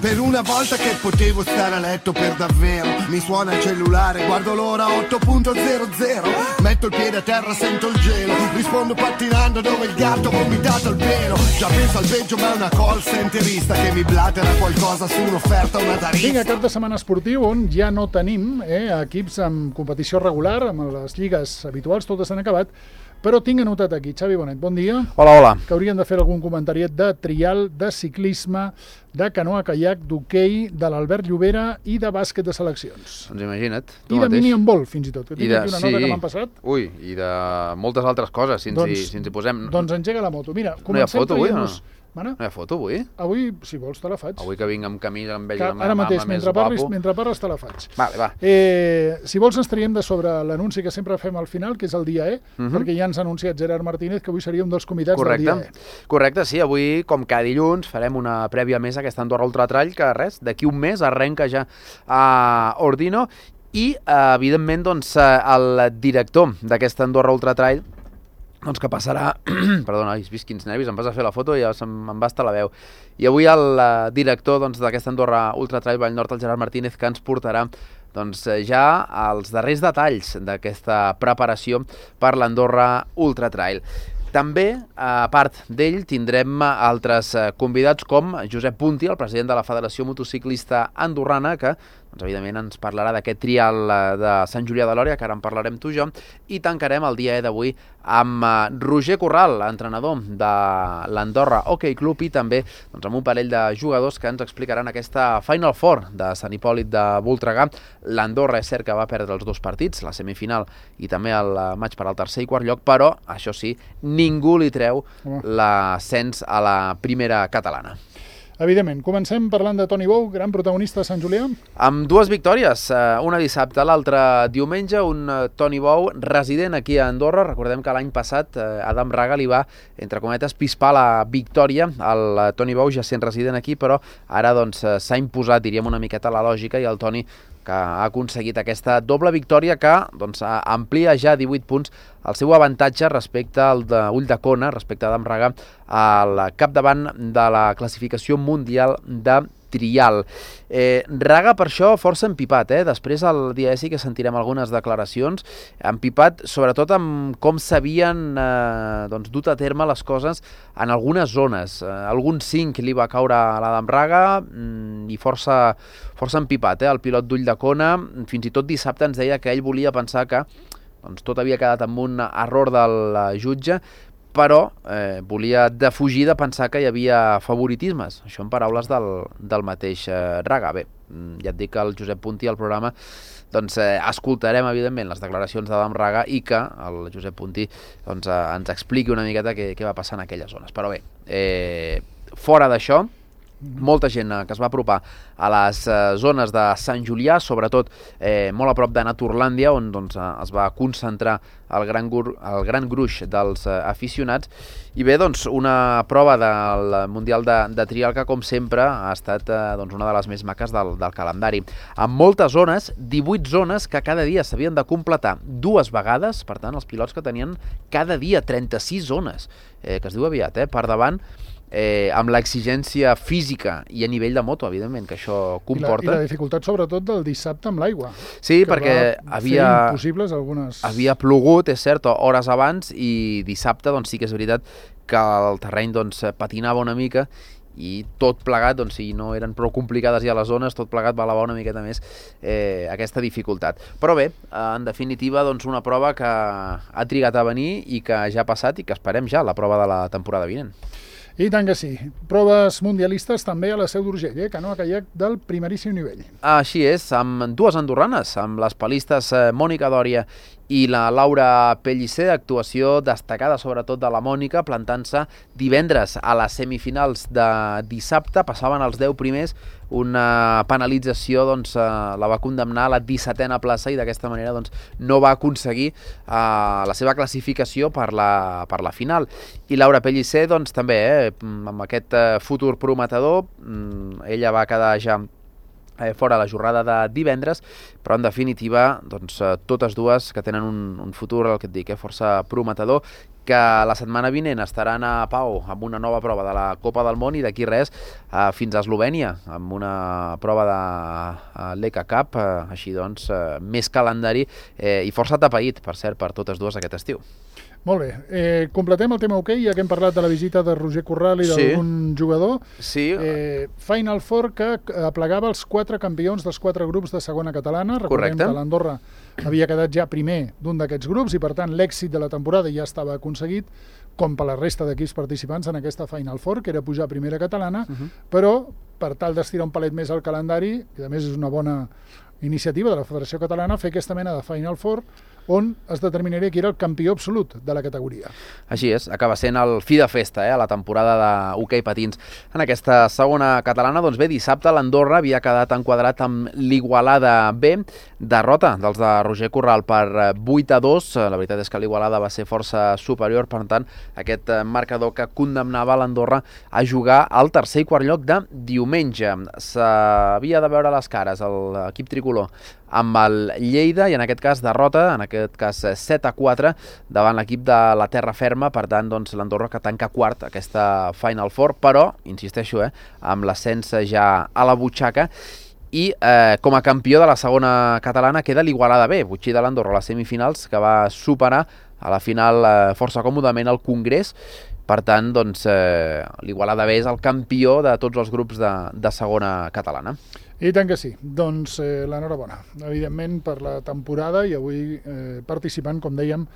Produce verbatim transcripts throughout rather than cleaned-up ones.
Per una volta che potevo stare a letto per davvero. Mi suona il cellulare, guardo l'ora otto punto zero zero. Metto il piede a terra, sento il gelo. Rispondo pattinando dove il gatto ha vomitato il pelo. Già penso al peggio, ma è una call centerista che mi blatera qualcosa su un'offerta, una tariffa. Vinga, cap de setmana esportiu on ja no tenim eh, equips amb competició regular, amb les lligues habituals, totes s'han acabat, però tinc anotat aquí. Xavi Bonet, bon dia. Hola, hola. Que haurien de fer algun comentariet de trial, de ciclisme, de canoa caiac, d'hoquei, de l'Albert Llobera i de bàsquet de seleccions. Doncs imagina't. I de mini handball, fins i tot, que tinc de, aquí una sí. nota que m'han passat. Ui, i de moltes altres coses, si ens, doncs, hi, si ens hi posem. Doncs engega la moto. Mira, no hi ha foto avui, no? Mana? No hi ha foto avui? Avui, si vols, te la faig. Avui que vinc amb camí, em veig que, amb ara mateix, amb mentre més parlis, guapo. mentre parles, te la faig. Vale, va. Eh, si vols, ens traiem de sobre l'anunci que sempre fem al final, que és el dia E, uh-huh. perquè ja ens ha anunciat Gerard Martínez que avui seria un dels convidats Correcte. del dia E. Correcte, sí. Avui, com cada dilluns, farem una prèvia més a aquesta Andorra Ultra Trail, que res, d'aquí un mes arrenca ja a Ordino, i, evidentment, doncs, el director d'aquesta Andorra Ultra Trail, doncs que passarà... Perdona, has vist quins nervis, em vas a fer la foto i ja me'n va estar la veu. I avui el director doncs, d'aquesta Andorra Ultra Trail Vall Nord, el Gerard Martínez, que ens portarà doncs, ja els darrers detalls d'aquesta preparació per l'Andorra Ultra Trail. També, a part d'ell, tindrem altres convidats com Josep Punti, el president de la Federació Motociclista Andorrana, que doncs, evidentment ens parlarà d'aquest trial de Sant Julià de Lòria, que ara en parlarem tu i jo, i tancarem el dia d'avui amb Roger Corral, entrenador de l'Andorra Hockey Club, i també doncs, amb un parell de jugadors que ens explicaran aquesta Final Four de Sant Hipòlit de Voltregà. L'Andorra és cert que va perdre els dos partits, la semifinal i també el maig per al tercer i quart lloc, però, això sí, ningú li treu l'ascens a la primera catalana. Evidentment. Comencem parlant de Toni Bou, gran protagonista de Sant Julià. Amb dues victòries, una dissabte, l'altra diumenge, un Toni Bou resident aquí a Andorra. Recordem que l'any passat Adam Raga li va, entre cometes, pispar la victòria al Toni Bou, ja sent resident aquí, però ara doncs s'ha imposat, diríem, una miqueta la lògica, i el Toni que ha aconseguit aquesta doble victòria que doncs, amplia ja divuit punts el seu avantatge respecte al de Ulldecona, respecte a Adam Raga, al capdavant de la classificació mundial de trial. Eh, Raga, per això, força empipat. Eh? Després, al dia sí que sentirem algunes declaracions. Empipat, sobretot, amb com s'havien eh, doncs, dut a terme les coses en algunes zones. Eh, algun cinc li va caure a l'Adam Raga mm, i força, força empipat. Eh? El pilot d'Ulldecona, fins i tot dissabte, ens deia que ell volia pensar que doncs, tot havia quedat amb un error del jutge, però eh, volia defugir de pensar que hi havia favoritismes. Això en paraules del, del mateix eh, Raga. Bé, ja et dic que el Josep Punti al programa doncs, eh, escoltarem, evidentment, les declaracions d'Adam Raga i que el Josep Punti doncs, eh, ens expliqui una miqueta què, què va passar en aquelles zones. Però bé, eh, fora d'això, molta gent que es va apropar a les eh, zones de Sant Julià, sobretot eh, molt a prop de Naturlàndia, on doncs, es va concentrar el gran, el gran gruix dels eh, aficionats. I bé, doncs, una prova del Mundial de, de Trial que, com sempre, ha estat eh, doncs, una de les més maques del, del calendari. Amb moltes zones, divuit zones que cada dia s'havien de completar dues vegades, per tant, els pilots que tenien cada dia trenta-sis zones, eh, que es diu aviat, eh, per davant, Eh, amb l'exigència física i a nivell de moto, evidentment, que això comporta. I la, i la dificultat, sobretot, del dissabte amb l'aigua. Sí, perquè havia, impossibles algunes... havia plogut, és cert, hores abans, i dissabte doncs, sí que és veritat que el terreny doncs, patinava una mica, i tot plegat, doncs, si no eren prou complicades ja les zones, tot plegat va elevar una miqueta més eh, aquesta dificultat. Però bé, en definitiva, doncs, una prova que ha trigat a venir i que ja ha passat i que esperem ja la prova de la temporada vinent. I tant que sí. Proves mundialistes també a la Seu d'Urgell, eh? Canoa caiac del primeríssim nivell. Així és, amb dues andorranes, amb les palistes Mònica Dòria i la Laura Pellicer, actuació destacada sobretot de la Mònica, plantant-se divendres a les semifinals de dissabte, passaven els deu primers, una penalització doncs, la va condemnar a la dissetena plaça i d'aquesta manera doncs, no va aconseguir eh, la seva classificació per la, per la final. I Laura Pellicer doncs, també, eh, amb aquest futur prometedor, ella va quedar ja Eh, fora la jornada de divendres, però en definitiva doncs, eh, totes dues que tenen un, un futur, el que et dic, eh, força prometedor, que la setmana vinent estaran a Pau amb una nova prova de la Copa del Món i d'aquí res eh, fins a Eslovènia amb una prova de l'E C A Cup, eh, així doncs eh, més calendari eh, i força tapaït, per cert, per totes dues aquest estiu. Molt bé. Eh, completem el tema hoquei, ja que hem parlat de la visita de Roger Corral i d'algun sí. jugador. Sí. Eh, Final Four que aplegava els quatre campions dels quatre grups de segona catalana. Recordem Correcte. que l'Andorra havia quedat ja primer d'un d'aquests grups i, per tant, l'èxit de la temporada ja estava aconseguit, com per la resta d'equips participants en aquesta Final Four, que era pujar a primera catalana, uh-huh. però per tal d'estirar un palet més al calendari, i a més és una bona iniciativa de la Federació Catalana, fer aquesta mena de Final Four on es determinaria qui era el campió absolut de la categoria. Així és, acaba sent el fi de festa, eh, a la temporada d'hoquei patins. En aquesta segona catalana, doncs bé, dissabte l'Andorra havia quedat enquadrat amb l'Igualada B, derrota dels de Roger Corral per vuit a dos. La veritat és que l'Igualada va ser força superior, per tant, aquest marcador que condemnava l'Andorra a jugar al tercer i quart lloc de diumenge. S'havia de veure les cares l'equip tricolor amb el Lleida i en aquest cas derrota, en aquest cas set a quatre davant l'equip de la Terra Ferma, per tant doncs l'Andorra que tanca quart aquesta Final Four, però, insisteixo, eh, amb l'ascens ja a la butxaca i eh, com a campió de la segona catalana queda l'Igualada B, butxí de l'Andorra a les semifinals, que va superar a la final eh, força còmodament el Congrés. Per tant, doncs, eh, l'Igualada B és el campió de tots els grups de, de segona catalana. I tant que sí. Doncs eh, l'enhorabona, evidentment, per la temporada i avui eh, participant, com dèiem,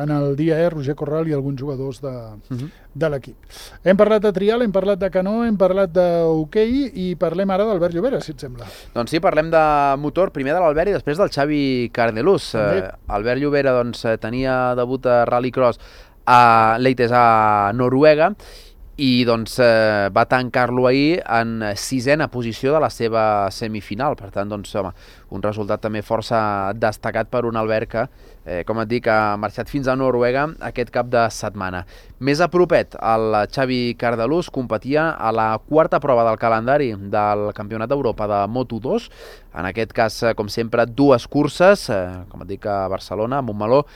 en el dia E, Roger Corral i alguns jugadors de, uh-huh. de l'equip. Hem parlat de trial, hem parlat de canó, hem parlat d'hoquei i parlem ara d'Albert Llobera, si et sembla. Doncs sí, parlem de motor, primer de l'Albert i després del Xavi Cardelús. Eh, Albert Llobera doncs, tenia debut a Rallycross a Leites a Noruega i doncs, eh, va tancar-lo ahir en sisena posició de la seva semifinal. Per tant, doncs, home, un resultat també força destacat per un Albert que, eh, com et dic, ha marxat fins a Noruega aquest cap de setmana. Més a propet, el Xavi Cardelús competia a la quarta prova del calendari del Campionat d'Europa de Moto dos. En aquest cas, com sempre, dues curses, eh, com et dic, a Barcelona, a Montmeló,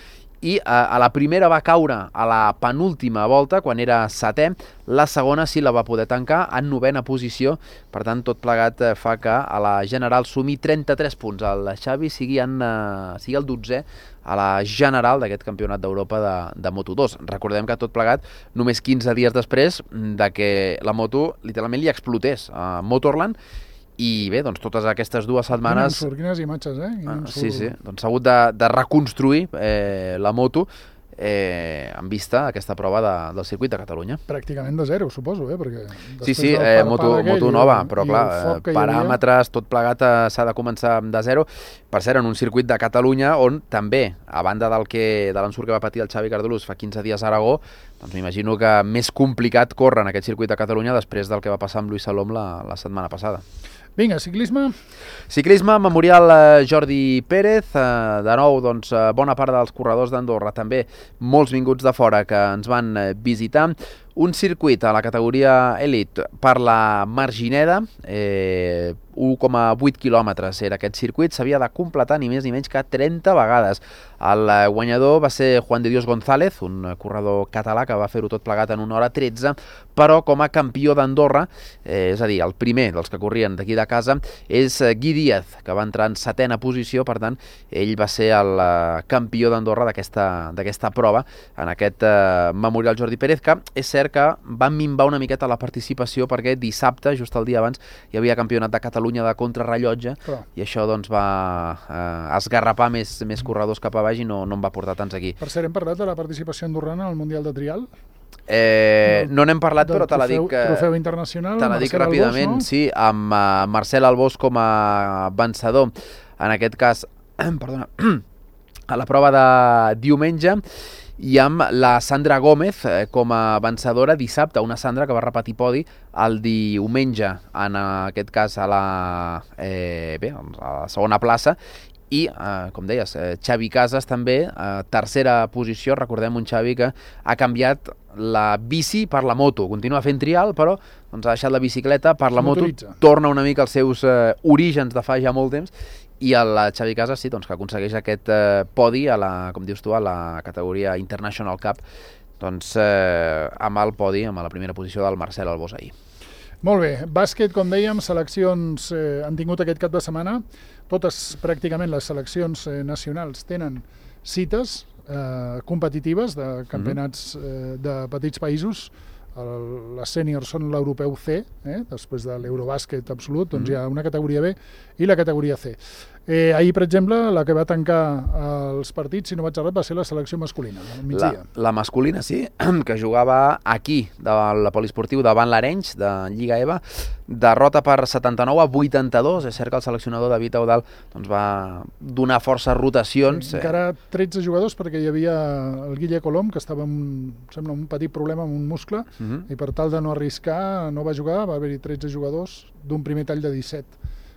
i a la primera va caure a la penúltima volta, quan era setè, la segona sí la va poder tancar en novena posició, per tant tot plegat fa que a la general sumi trenta-tres punts. El Xavi sigui, en, sigui el dotzè a la general d'aquest campionat d'Europa de, de Moto dos. Recordem que tot plegat només quinze dies després de que la moto literalment li explotés a Motorland. I bé, doncs totes aquestes dues setmanes... Quines, quines imatges, eh? Ah, sí, sí, doncs s'ha hagut de, de reconstruir eh, la moto eh, en vista aquesta prova de, del circuit de Catalunya. Pràcticament de zero, suposo, eh? Perquè sí, sí, eh, moto, moto nova, però clar, eh, paràmetres, tot plegat eh, s'ha de començar de zero. Per cert, en un circuit de Catalunya on també, a banda del que de l'ensurt que va patir el Xavi Cardelús fa quinze dies a Aragó, doncs m'imagino que més complicat córrer en aquest circuit de Catalunya després del que va passar amb Lluís Salom la, la setmana passada. Vinga, ciclisme. Ciclisme, memorial Jordi Pérez. De nou, doncs, bona part dels corredors d'Andorra, també molts vinguts de fora que ens van visitar. Un circuit a la categoria Elite per la Margineda, eh, u coma vuit quilòmetres era aquest circuit, s'havia de completar ni més ni menys que trenta vegades. El guanyador va ser Juan de Dios González, un corredor català que va fer-ho tot plegat en una hora tretze, però com a campió d'Andorra, eh, és a dir, el primer dels que corrien d'aquí de casa, és Gui Díaz, que va entrar en setena posició, per tant, ell va ser el campió d'Andorra d'aquesta prova, en aquest eh, memorial Jordi Pérez, que és cert que va minvar una miqueta la participació perquè dissabte, just el dia abans, hi havia campionat de Catalunya de contrarrellotge oh. i això doncs va eh, esgarrapar més, més corredors cap a baix i no, no en va portar tants aquí. Per cert, hem parlat de la participació andorrana al Mundial de Trial? Eh, no n'hem parlat, però te la dic, trofeu internacional, te la dic ràpidament, Albós, no? Sí, amb uh, Marcel Albós com a vencedor, en aquest cas, perdona, a la prova de diumenge, i amb la Sandra Gómez eh, com a vencedora dissabte, una Sandra que va repetir podi el diumenge, en aquest cas a la, eh, bé, a la segona plaça, i, eh, com deies, eh, Xavi Casas també, eh, tercera posició. Recordem un Xavi que ha canviat la bici per la moto, continua fent trial, però doncs, ha deixat la bicicleta per la moto, torna una mica als seus eh, orígens de fa ja molt temps, i el Xavi Casas sí, doncs, que aconsegueix aquest eh, podi a la, com dius tu, a la categoria International Cup doncs eh, amb el podi, amb la primera posició del Marcel Albós ahir. Molt bé, bàsquet, com dèiem, seleccions eh, han tingut aquest cap de setmana. Totes, pràcticament, les seleccions eh, nacionals tenen cites eh, competitives de campionats eh, de petits països. El, les sèniors són l'europeu C, eh, després de l'Eurobàsquet absolut, doncs hi ha una categoria B i la categoria C. Eh, ahir, per exemple, la que va tancar els partits, si no vaig errat, va ser la selecció masculina, al migdia. La, la masculina, sí, que jugava aquí, del poliesportiu, davant l'Arenys, de Lliga EVA, derrota per setanta-nou a vuitanta-dos. És cert que el seleccionador David Eudal doncs, va donar força rotacions. Sí, encara tretze jugadors, perquè hi havia el Guille Colom, que estava amb sembla, un petit problema amb un muscle, uh -huh. i per tal de no arriscar, no va jugar, va haver-hi tretze jugadors d'un primer tall de disset,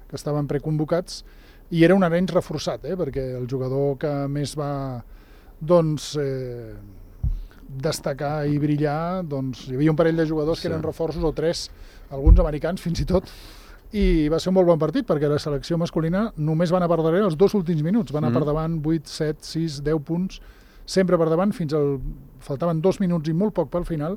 que estaven preconvocats, i era un Arenys reforçat, eh, perquè el jugador que més va doncs, eh, destacar i brillar, doncs, hi havia un parell de jugadors sí. que eren reforços, o tres, alguns americans fins i tot, i va ser un molt bon partit, perquè la selecció masculina només van a per darrere els dos últims minuts, van a mm. per davant vuit, set, sis, deu punts, sempre per davant, fins al... faltaven dos minuts i molt poc pel final,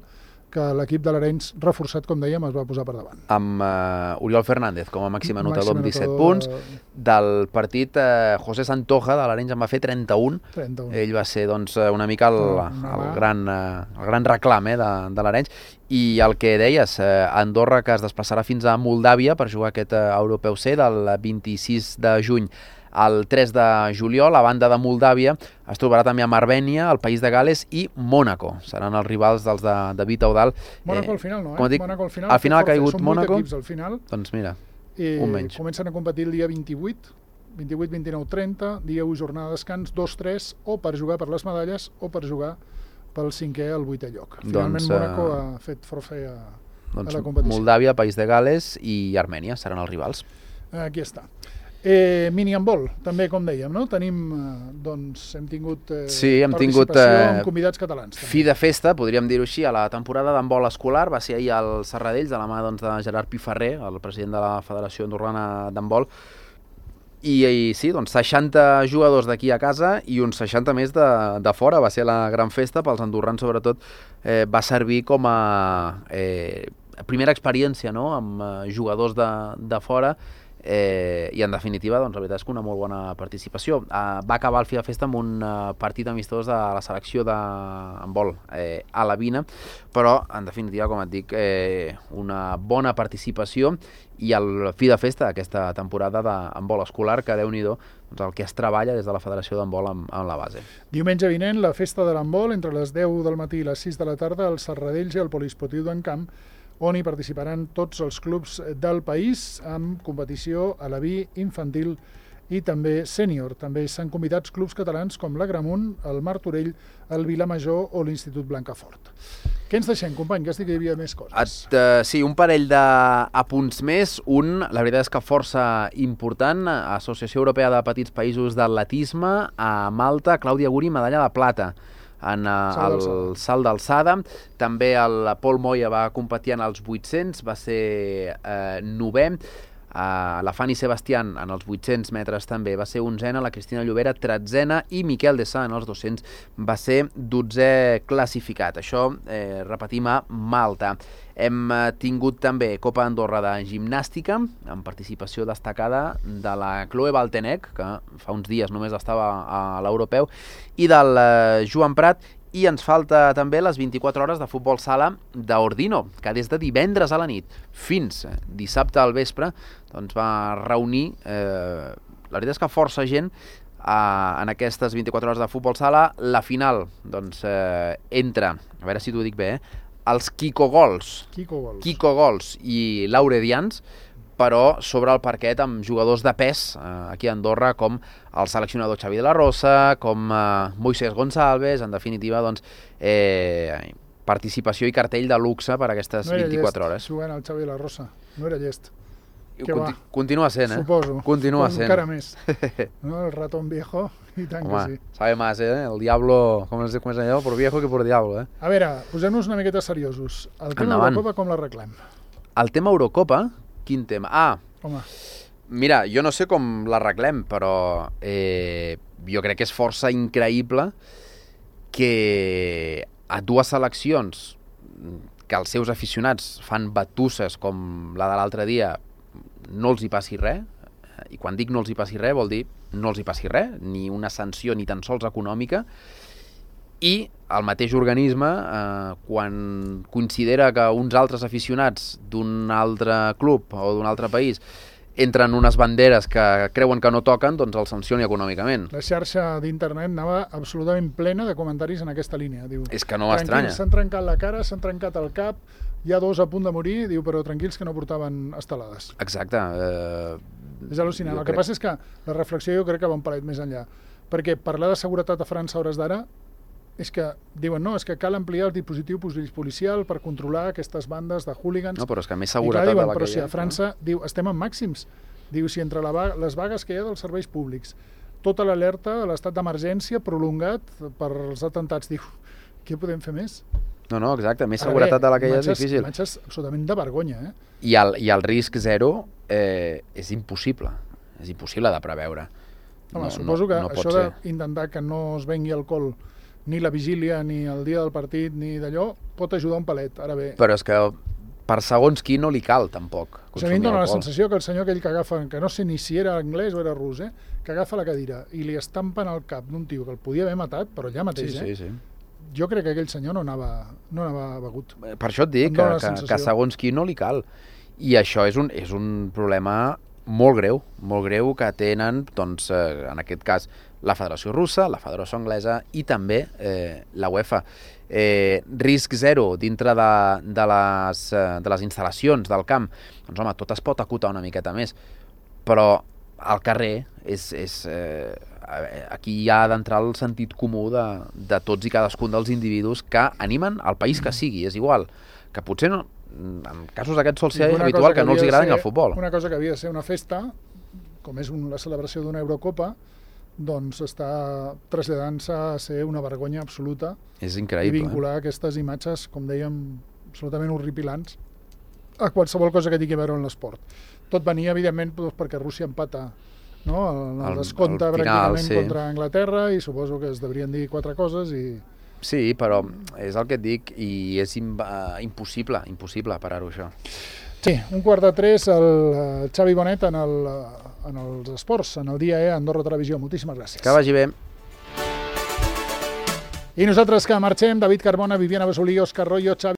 que l'equip de l'Arenys, reforçat, com dèiem, es va posar per davant. Amb uh, Oriol Fernández com a màxim anotador amb disset punts. Del partit, uh, José Santoja, de l'Arenys, en va fer trenta-un. trenta-un. Ell va ser doncs, una mica el, no, no, el, gran, uh, el gran reclam eh, de, de l'Arenys. I el que deies, uh, Andorra, que es desplaçarà fins a Moldàvia per jugar aquest uh, Europeu C del vint-i-sis de juny el tres de juliol. A banda de Moldàvia es trobarà també amb Armènia, el País de Gales i Mònaco. Seran els rivals dels de David Eudal. Mònaco eh, al final no, eh? Dic, Mònaco al final, al final ha caigut Mònaco. Són vuit equips al final. Doncs mira, I un menys. Comencen a competir el dia vint-i-vuit, vint-i-vuit, vint-i-nou, trenta, dia u, jornada de descans, dos tres, o per jugar per les medalles o per jugar pel cinquè al vuitè lloc. Finalment doncs, Mònaco uh... ha fet forfait a, doncs, a la competició. Moldàvia, País de Gales i Armènia seran els rivals. Aquí està. Eh, mini-handbol, també, com dèiem, no? Tenim, eh, doncs, hem tingut eh, sí, hem participació tingut, eh, amb convidats catalans. També. Fi de festa, podríem dir-ho així, a la temporada d'handbol escolar. Va ser ahir al Serradells, de la mà doncs, de Gerard Piferrer, el president de la Federació Andorrana d'Handbol. I, I sí, doncs seixanta jugadors d'aquí a casa i uns seixanta més de, de fora. Va ser la gran festa, pels andorrans sobretot, eh, va servir com a eh, primera experiència, no?, amb eh, jugadors de, de fora. Eh, i en definitiva doncs, la veritat és que una molt bona participació. Eh, va acabar el Fi de Festa amb un uh, partit amistós de la selecció d'handbol eh, a la Vina, però en definitiva, com et dic, eh, una bona participació i el Fi de Festa d'aquesta temporada d'handbol escolar, que Déu-n'hi-do doncs, el que es treballa des de la Federació d'Handbol amb, amb la base. Diumenge vinent, la festa de l'handbol entre les deu del matí i les sis de la tarda al Serradells i al Poliesportiu d'Encamp, on hi participaran tots els clubs del país amb competició a la B infantil i també sènior. També s'han convidat clubs catalans com l'Agramunt, el Martorell, el Vilamajor o l'Institut Blancafort. Què ens deixem, company? Que estic que hi havia més coses. Et, uh, sí, un parell d'apunts més. Un, la veritat és que força important, Associació Europea de Petits Països d'Atletisme, a Malta, Clàudia Guri, medalla de plata en uh, el salt d'alçada. També el Pol Moya va competir en els vuit-cents, va ser eh, novè. Uh, la Fanny Sebastián en els vuit-cents metres també va ser onzena, la Cristina Llobera tretzena i Miquel de Sá en els dos-cents va ser dotzè classificat. Això, eh, repetim, a Malta. Hem eh, tingut també Copa Andorra de gimnàstica, amb participació destacada de la Chloe Baltenec, que fa uns dies només estava a l'Europeu, i del eh, Joan Prat. I ens falta també les vint-i-quatre hores de futbol sala d'Ordino, que des de divendres a la nit fins dissabte al vespre doncs va reunir, eh, la veritat és que força gent eh, en aquestes vint-i-quatre hores de futbol sala. La final doncs, eh, entre, a veure si t'ho dic bé, eh, els Kiko Gols, Kiko Gols. Kiko Gols i Lauredians, però sobre el parquet amb jugadors de pes eh, aquí a Andorra, com el seleccionador Xavi de la Rosa, com eh, Moisés Gonçalves, en definitiva, doncs, eh, participació i cartell de luxe per a aquestes no vint-i-quatre hores. No era llest, jugant el Xavi de la Rosa, no era llest. Conti continua sent, eh? Suposo. Continua Suposo sent. Encara més. No, el ratón viejo, i tant Home, que sí. sabe más, eh? El diablo, com es, com es allò, por viejo que por diablo, eh? A veure, posem-nos una miqueta seriosos. El tema Endavant. Eurocopa com l'arreglem? El tema Eurocopa? Quin tema? Ah, Home. Mira, jo no sé com l'arreglem, però eh, jo crec que és força increïble que a dues seleccions que els seus aficionats fan batusses com la de l'altre dia, no els hi passi res, i quan dic no els hi passi res vol dir no els hi passi res, ni una sanció ni tan sols econòmica, i el mateix organisme, eh, quan considera que uns altres aficionats d'un altre club o d'un altre país entren unes banderes que creuen que no toquen, doncs el sancioni econòmicament. La xarxa d'internet anava absolutament plena de comentaris en aquesta línia. Diu, és que no m'estranya. S'han trencat la cara, s'han trencat el cap, hi ha dos a punt de morir, diu, però tranquils que no portaven estelades. Exacte. Eh, és al·lucinant. El que crec... passa és que la reflexió jo crec que va un palet més enllà. Perquè parlar de seguretat a França a hores d'ara és que diuen, no, és que cal ampliar el dispositiu policial per controlar aquestes bandes de hooligans. No, però és que més seguretat clar, diuen, de la però que si hi ha. a França, no? Diu, estem en màxims. Diu, si entre la vaga, les vagues que hi ha dels serveis públics, tota l'alerta, l'estat d'emergència prolongat per els atentats, diu, què podem fer més? No, no, exacte, més Ara seguretat bé, de la que hi ha és difícil. Imatges absolutament de vergonya, eh? I el, i el risc zero eh, és impossible, és impossible de preveure. Home, no, suposo no, que no això d'intentar que no es vengui alcohol ni la vigília, ni el dia del partit, ni d'allò, pot ajudar un palet. Ara bé... Però és que per segons qui no li cal, tampoc, consumir alcohol. A mi em dóna la sensació que el senyor aquell que agafa, que no sé ni si era anglès o era rus, eh, que agafa la cadira i li estampen al cap d'un tio que el podia haver matat, però allà mateix, sí, eh? Sí, sí. Jo crec que aquell senyor no anava, no anava begut. Per això et dic, que, que, que segons qui no li cal. I això és un, és un problema molt greu, molt greu que tenen, doncs, eh, en aquest cas, la Federació Russa, la Federació Anglesa i també eh, la UEFA. Eh, risc zero dintre de, de, les, de les instal·lacions del camp. Doncs home, tot es pot acotar una miqueta més, però al carrer és, és, eh, aquí hi ha d'entrar el sentit comú de, de tots i cadascun dels individus que animen al país que sigui, és igual, que potser no, en casos aquests sol ser habitual que, que no els agrada ni el futbol. Una cosa que havia de ser una festa, com és un, la celebració d'una Eurocopa, doncs està traslladant-se a ser una vergonya absoluta. És increïble. I vincular aquestes imatges, com dèiem, absolutament horripilants a qualsevol cosa que tingui a veure amb l'esport. Tot venia, evidentment, perquè Rússia empata, no? el, el descompte el final, pràcticament sí. Contra Anglaterra, i suposo que es deurien dir quatre coses i... Sí, però és el que et dic, i és im uh, impossible, impossible parar-ho, això. Sí, un quart de tres, el, el Xavi Bonet en, el, en els esports, en el dia E, Andorra Televisió. Moltíssimes gràcies. Que vagi bé. I nosaltres que marxem, David Carbona, Viviana Besolí, Òscar Royo, Xavi